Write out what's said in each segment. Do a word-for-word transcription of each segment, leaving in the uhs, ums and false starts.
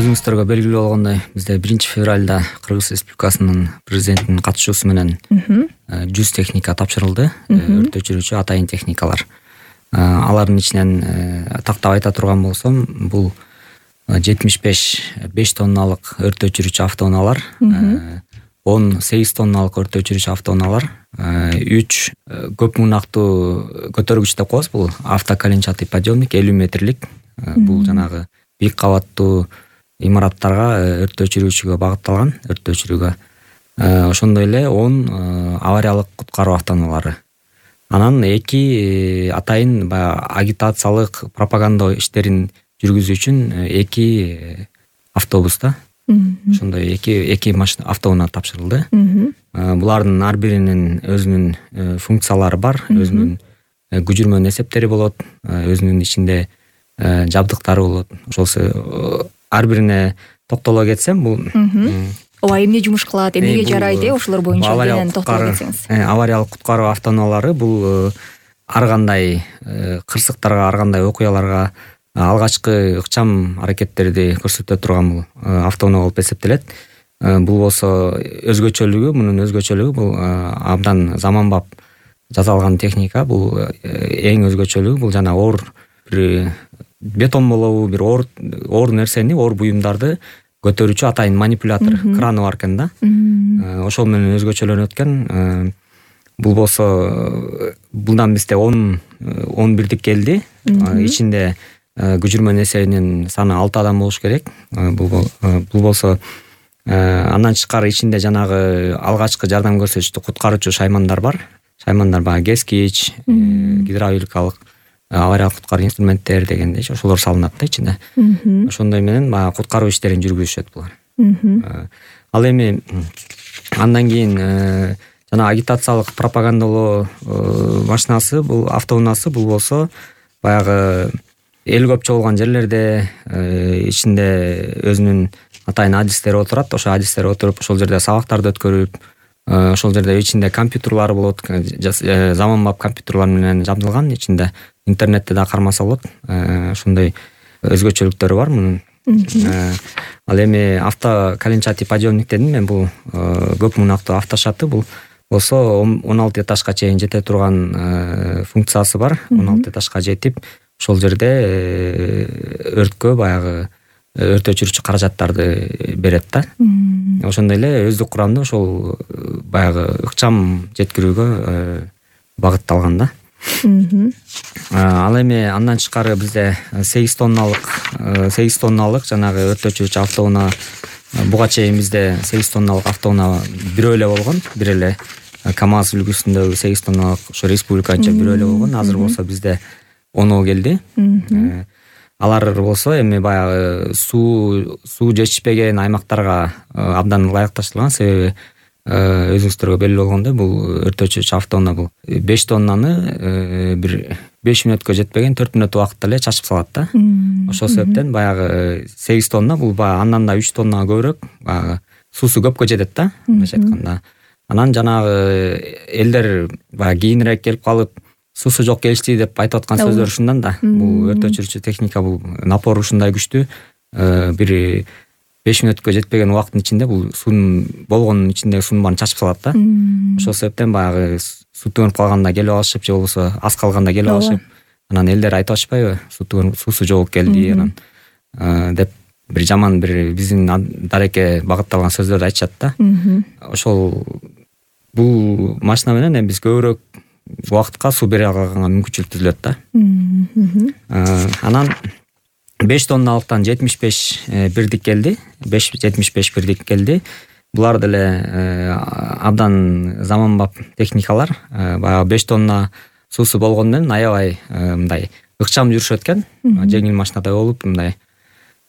Өзүңүздөргө белгилүү болгондой, бизде биринчи февралда Кыргыз Республикасынын президентинин катышуусу менен жүз техника тапшырылды. Өрт өчүрүүчү атайын техникалар. Алардын ичинен тактап айта турган болсом, бул жетимиш беш беш тонналык өрт өчүрүүчү автоунаалар, он сегиз тонналык өрт өчүрүүчү автоунаалар, үч көп муунактуу көтөргүч деп коебуз. Бул автоколенчатый подъемник элүү метрлик. Бул жанагы бийик кабаттуу имараттарга өрт өчүрүүчүгө багытталган, өрт өчүрүүгө. Ошондой эле он авариялык куткаруу автоунаалары. Анан эки атайын баягы агитациялык пропаганда иштерин жүргүзүү үчүн эки автобус да. Ошондой эки эки машина автоунаа тапшырылды. Булардын ар биринин өзүнүн функциялары бар, өзүнүн көчүрмөнүн эсептери болот, өзүнүн ичинде жабдыктары болот. Ошол ар бирине токтоло кетсем, бул ооба эмне жумуш кылат, эмнеге жарайт, ошолор боюнча менен токтоло кетсеңиз. Авариялык куткаруу автоунаалары бул ар кандай кырсыктарга, ар кандай окуяларга алгачкы ыкчам аракеттерди көрсөтө турган бул автоунаа болуп эсептелет. Бул болсо өзгөчөлүгү, мунун өзгөчөлүгү бул абдан заманбап жасалган техника. Бул эң өзгөчөлүгү бул жана оор бир бетон болобу, бир оор оор нерсени, оор буюмдарды көтөрүүчү атайын манипулятор, краны бар экен да. Ошол менен өзгөчөлөнөт экен. Бул болсо булдан бизде он он бирдик келди. Ичинде көчүрмөнүн эсебинен саны алты адам болуш керек. Бул бул болсо андан тышкары ичинде жанагы алгачкы жардам көрсөтүчү куткаруучу шаймандар бар. Шаймандар баягы кескич, гидравликалык, авариялык куткаруу инструменттер дегендей, ошолор салынат да ичинде. Ошондой менен баягы куткаруу иштерин жүргүзүшөт булар. Ал эми андан кийин жана агитациялык пропагандалоо машинасы, бул автоунаасы, бул болсо баягы эл көп чогулган жерлерде ичинде өзүнүн атайын адистери отурат. Ошол адистер отуруп, ошол жерде сабактарды өткөрүп, ошол жерде ичинде компьютерлары болот, заманбап компьютерлар менен жабдылган, ичинде интернетте да кармаса болот. Ошондой өзгөчөлүктөрү бар мунун. Ал эми автоколенчатый подъемник дедим мен, бул көп муунактуу автошаты. Бул болсо он алты этажга чейин жете турган функциясы бар. он алты этажга жетип, ошол жерде өрткө баягы өрт өчүрүүчү каражаттарды берет да. Ошондой эле өздүк курамда ошол баягы ыкчам жеткирүүгө багытталган да. Ал эми андан тышкары бизде сегиз тонналык сегиз тонналык жанагы өрт өчүрүүчү автоунаа, буга чейин бизде сегиз тонналык автоунаа бирөө эле болгон, бир эле КамАЗ үлгүсүндөгү сегиз тонналык ошо республиканча бирөө эле болгон. Азыр болсо бизде оноо келди. Алар болсо эми баягы суу суу жетишпеген аймактарга абдан ылайыкташтырылган. Себеби өзүңүздөргө белгилүү болгондой, бул өрт өчүрүүчү автоунаа бул беш тоннаны бир беш мүнөткө жетпеген төрт мүнөт убакытта эле чачып салат да. Ошол себептен баягы сегиз тонна бул баягы андан да үч тоннага көбүрөөк, баягы суусу көпкө жетет да, мындайча айтканда. Анан жанагы элдер баягы кийинирээк келип калып, суусу жок келишти деп айтып аткан сөздөр ушундан да. Бул өрт өчүрүүчү техника, бул напор ушундай күчтүү, бир беш мүнөткө жетпеген убакыттын ичинде бул суунун болгонун ичиндеги суунун баарын чачып салат да. Ошол себептен баягы суу төгүнүп калганда келип алышып, же болбосо аз калганда келип алышып, анан элдер айтып атышпайбы, суу төгүнүп, суусу жогуп келди анан деп бир жаман, бир биздин дарекке багытталган сөздөрдү айтышат да. Ошол бул машина менен эми биз көбүрөөк убакытка суу бере алганга мүмкүнчүлүк түзүлөт да. Анан беш тонналыктан жетимиш беш бирдик келди. жетимиш беш бирдик келди. Булар деле абдан заманбап техникалар. Баягы беш тонна суусу болгону менен аябай мындай ыкчам жүрүшөт экен. Жеңил машинадай болуп, мындай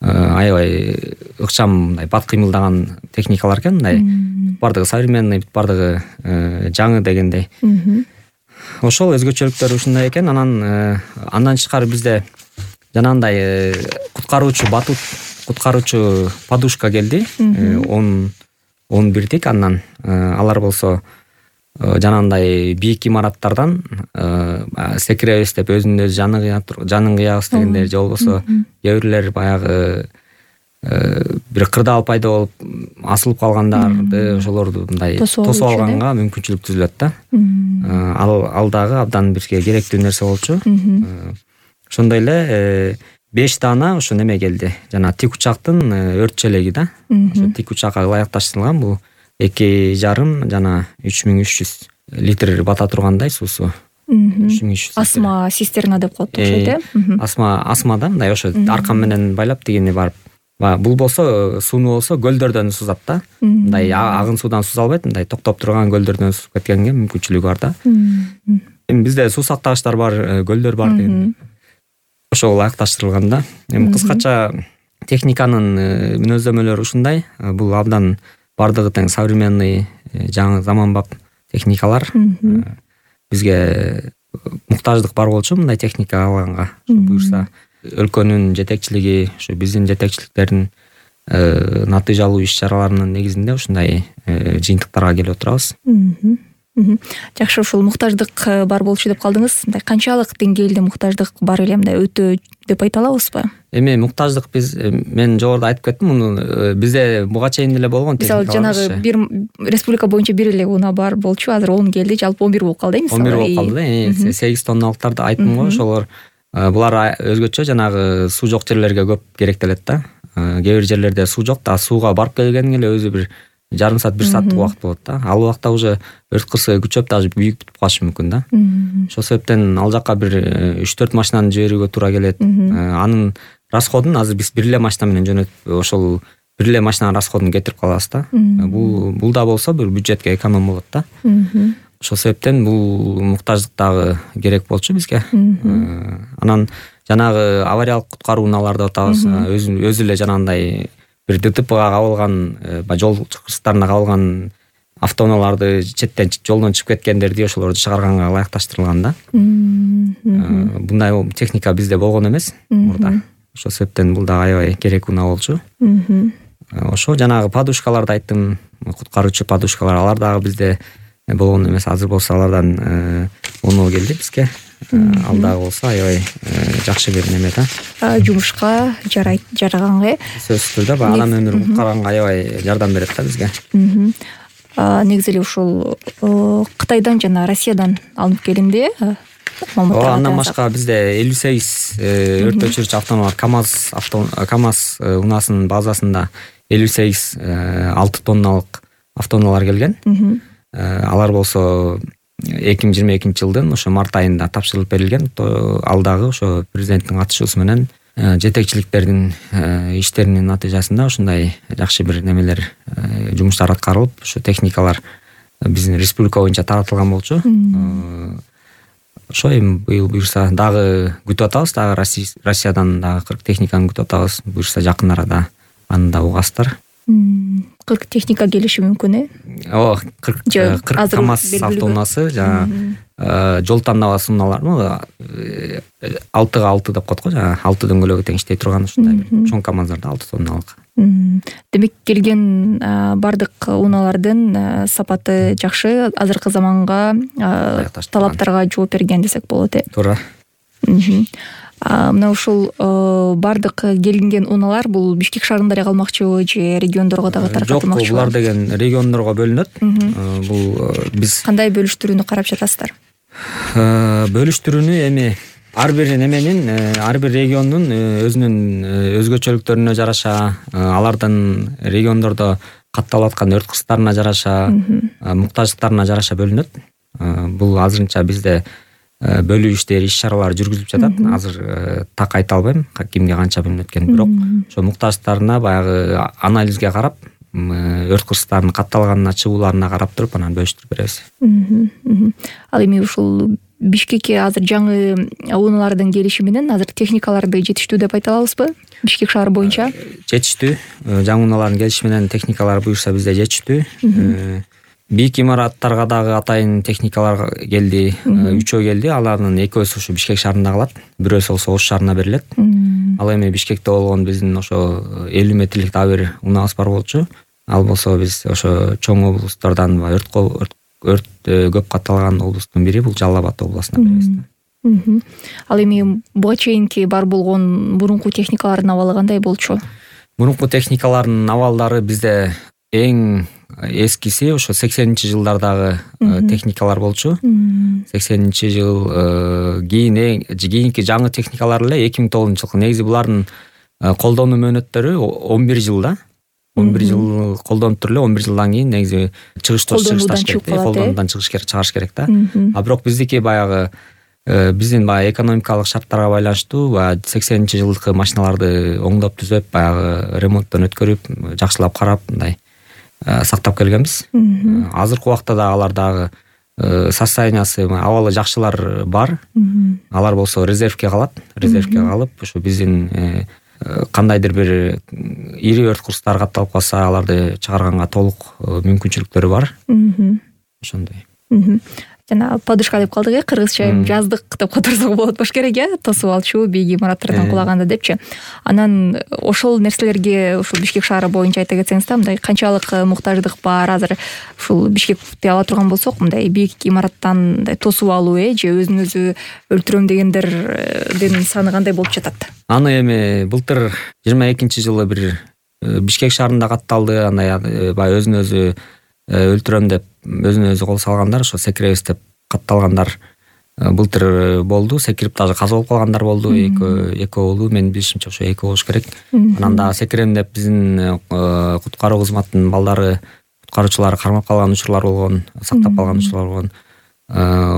аябай ыкчам, мындай бат кыймылдаган техникалар экен. Мындай бардыгы современный, бардыгы жаңы дегендей. Ошол өзгөчөлүктөрү ушундай экен. Анан андан тышкары бизде жанагындай куткаруучу батут, куткаруучу подушка келди. он бирдик. Андан алар болсо жанагындай бийик имараттардан секиребиз деп өзүнүн өзү жанын кыябыз дегендер, же болбосо кээ бирлер баягы бир кырдаал пайда болуп асылып калгандарды ошолорду мындай тосуп алганга мүмкүнчүлүк түзүлөт да. Ал ал дагы абдан бизге керектүү нерсе болчу. Ошондой эле беш даана ошо неме келди. Жана тик учактын өрт челеги да. Ошо тик учакка ылайыкташтырылган бул эки жарым жана үч миң үч жүз литр бата тургандай суусу. Асма цистерна деп коет окшойт э. Асма асма да мындай ошо аркан менен байлап дегени барып. Бул болсо сууну болсо көлдөрдөн сузат да. Мындай агын суудан суза албайт, мындай токтоп турган көлдөрдөн сузуп кеткенге мүмкүнчүлүгү бар да. Эми бизде суу сактагычтар бар, көлдөр бар деген. Ошол ылайыкташтырылган да. Эми кыскача техниканын мүнөздөмөлөрү ушундай. Бул абдан бардыгы тең современный, жаңы заманбап техникалар. Бизге муктаждык бар болчу мындай техника алганга. Буюрса өлкөнүн жетекчилиги, ушу биздин жетекчиликтердин натыйжалуу иш-чараларынын негизинде ушундай жыйынтыктарга келип отурабыз. Жакшы, ушул муктаждык бар болчу деп калдыңыз. Мындай канчалык деңгээлде муктаждык бар эле, мындай өтө деп айта алабызбы? Эми муктаждык биз мен жогоруда айтып кеттим, муну бизде буга чейин эле болгон техника. Мисалы жанагы бир республика боюнча бир эле унаа бар болчу, азыр он келди, жалпы он бир болуп калды мисалы. он бир болуп калды. сегиз тонналыктарды айттым го, ошолор булар өзгөчө жанагы суу жок жерлерге көп керектелет да. Кээ бир жерлерде суу жок да, сууга барып келгенге эле өзү бир жарым саат, бир сааттык убакыт болот да. Ал убакта уже өрт кырсыгы күчөп, даже büyük бүтүп калышы мүмкүн да. Ошол себептен ал жака бир үч төрт машинаны жиберүүгө туура келет. Анын расходун азыр биз бир эле машина менен жөнөтүп, ошол бир эле машинанын расходун кетирип калабыз да. Бул бул да болсо бир бюджетке эконом болот да. Ошол себептен бул муктаждык дагы керек болчу бизге. Анан жанагы авариялык куткаруу унааларды атабыз, өзү өзү эле жанагындай бир ДТПга кабылган, жол кырсыктарына кабылган автоунааларды четтен жолдон чыгып кеткендерди ошолорду чыгарганга ылайыкташтырылган да. Мындай техника бизде болгон эмес мурда. Ошол себептен бул да аябай керек унаа болчу. Ошо жанагы подушкаларды айттым, куткаруучу подушкалар, алар дагы бизде болгон эмес. Азыр болсо алардан уноо келди бизге. Ал дагы болсо аябай жакшы бир неме да. Жумушка жарайт, жараганга. Сөзсүз түрдө анан өмүр куткарганга аябай жардам берет да бизге. Негизи эле ушул Кытайдан жана Россиядан алынып келинди. Андан башка бизде элүү сегиз өрт өчүрүүчү автоунаалар КамАЗ авто КамАЗ унаасынын базасында элүү сегиз алты тонналык автоунаалар келген. Алар болсо эки миң жыйырма экинчи жылдын ошо март айында тапшырылып берилген. Ал дагы ошо президенттин катышуусу менен жетекчиликтердин иштеринин натыйжасында ушундай жакшы бир немелер, жумуштар аткарылып, ушу техникалар биздин республика боюнча таратылган болчу. Ошо эми быйыл буюрса дагы күтүп атабыз, дагы Россиядан дагы кырк техниканы күтүп атабыз. Буюрса жакын арада аны да угасыздар. кырк техника келиши мүмкүн э? Ооба, кырк КамАЗ автоунаасы жана жол тандабасы унаалар, алтыга алты деп коет го, жана алты дөңгөлөгү тең иштей турган ушундай бир чоң КамАЗдарда алты тонналык. Демек келген бардык унаалардын сапаты жакшы, азыркы заманга талаптарга жооп берген десек болот э. Туура. Мына ушул бардык келинген унаалар бул Бишкек шаарында калмакчыбы же региондорго дагы таркатылмакчыбы? Жок, булар деген региондорго бөлүнөт. Бул биз кандай бөлүштүрүүнү карап жатасыздар? Бөлүштүрүүнү эми ар бир неменин, ар бир региондун өзүнүн өзгөчөлүктөрүнө жараша, алардын региондордо катталып аткан өрт кырсыктарына жараша, муктаждыктарына жараша бөлүнөт. Бул азырынча бизде бөлүү иштери, иш-чаралар жүргүзүлүп жатат. Азыр так айта албайм кимге канча бөлүнөт экенин, бирок ошо муктаждыктарына баягы анализге карап, өрт кырсыктарынын катталганына, чыгууларына карап туруп анан бөлүштүрүп беребиз. Ал эми ушул Бишкекке азыр жаңы унаалардын келиши менен азыр техникаларды жетиштүү деп айта алабызбы? Бишкек шаары боюнча жетиштүү. Жаңы унаалардын келиши менен техникалар буюрса бизде жетиштүү. Бийик имараттарга дагы атайын техникалар келди, үчөө келди. Алардын экөөсү ушу Бишкек шаарында калат, бирөөсү болсо Ош шаарына берилет. Ал эми Бишкекте болгон биздин ошо элүү метрлик дагы бир унаабыз бар болчу. Ал болсо биз ошо чоң облустардан өрт өрт көп катталган облустун бири, бул Жалал Абад областына беребиз. Ал эми буга чейинки бар болгон мурунку техникалардын абалы кандай болчу? Мурунку техникалардын абалдары бизде эң эскиси ошо сексенинчи жылдардагы техникалар болчу. сексенинчи жыл кийин эң кийинки жаңы техникалар эле эки миң тогузунчу жылкы. Негизи булардын колдонуу мөөнөттөрү он бир жыл да. он бир жыл колдонуп туруп эле он бир жылдан кийин негизи чыгыштоо чыгышташ керек, колдонуудан чыгыш керек, чыгарыш керек да. А бирок биздики баягы биздин баягы экономикалык шарттарга байланыштуу баягы сексенинчи жылдыкы машиналарды оңдоп түзөп, баягы ремонттон өткөрүп, жакшылап карап мындай сактап келгенбиз. Азыркы убакта да алар дагы состояниясы, абалы жакшылар бар. Алар болсо резервке калат. Резервке калып, ошо биздин кандайдыр бир ири өрт курстар катталып калса, аларды чыгарганга толук мүмкүнчүлүктөрү бар. Ошондой. Жана подушка деп калдык э, кыргызча эми жаздык деп которсок болот болуш керек э, тосуп алчу бийик имараттардан кулаганда депчи. Анан ошол нерселерге ушул Бишкек шаары боюнча айта кетсеңиз да, мындай канчалык муктаждык бар азыр ушул Бишкекти ала турган болсок, мындай бийик имараттан мындай тосуп алуу э же өзүн өзү өлтүрөм дегендердин саны кандай болуп жатат? Аны эми былтыр жыйырма экинчи жылы бир Бишкек шаарында катталды. Андай баягы өзүн өзү өлтүрөм деп өзүн өзү кол салгандар, ошо секиребиз деп катталгандар былтыр болду. Секирип дагы каза болуп калгандар болду. Эки эки болду. Менин билишимче ошо эки болуш керек. Анан дагы секирем деп биздин куткаруу кызматынын балдары, куткаруучулары кармап калган учурлар болгон, сактап калган учурлар болгон.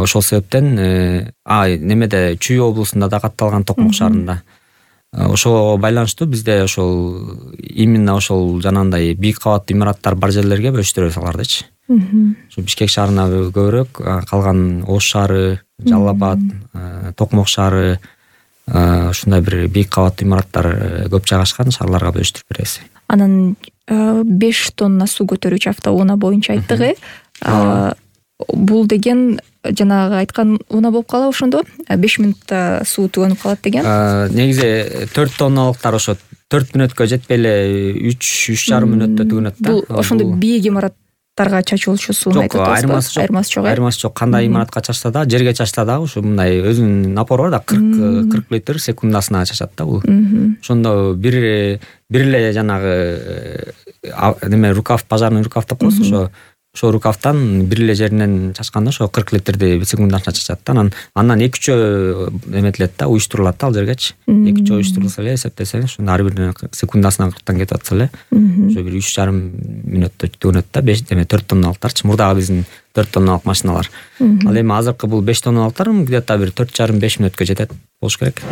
Ошол себептен а немеде Чүй облусунда да катталган, Токмок шаарында. Ошого байланыштуу бизде ошол именно ошол жанагындай бийик кабаттуу имараттар бар жерлерге бөлүштүрөбүз алардычы. Ошо Бишкек шаарына көбүрөөк, калган Ош шаары, Жалал Абад, Токмок шаары, ушундай бир бийик кабаттуу имараттар көп жайгашкан шаарларга бөлүштүрүп беребиз. Анан беш тонна суу көтөрүүчү автоунаа боюнча айттык э. Бул деген жанагы айткан унаа болуп калабы ошондо? беш мүнөттө суу түгөнүп калат деген. Негизи төрт тонналыктар ошо төрт мүнөткө жетпей эле үч үч жарым мүнөттө түгөнөт да. Бул ошондо бийик имараттарга чачылчу сууну айтып атасызбы? Айырмасы жок. Айырмасы жок. Айырмасы жок. Кандай имаратка чачса да, жерге чачса да ушу мындай өзүнүн напору бар да, кырк кырк литр секундасына чачат да бул. Ошондо бир бир эле жанагы неме рукав, пожарный рукав деп коебуз, ошо ошо рукавтан бир эле жеринен чачканда ошо кырк литрди секундасына чачат да. Анан андан эки үчөө эметилет да, уюштурулат да ал жергечи. эки үчөө уюштурулса эле эсептесеңиз, ошондо ар биринен секундасына кырктан кетип атса эле ошо бир үч жарым мүнөттө түгөнөт да. беш эме төрт тонналыктарчы, мурдагы биздин төрт тонналык машиналар. Ал эми азыркы бул беш тонналыктар где-то бир төрт жарым беш мүнөткө жетет болуш керек.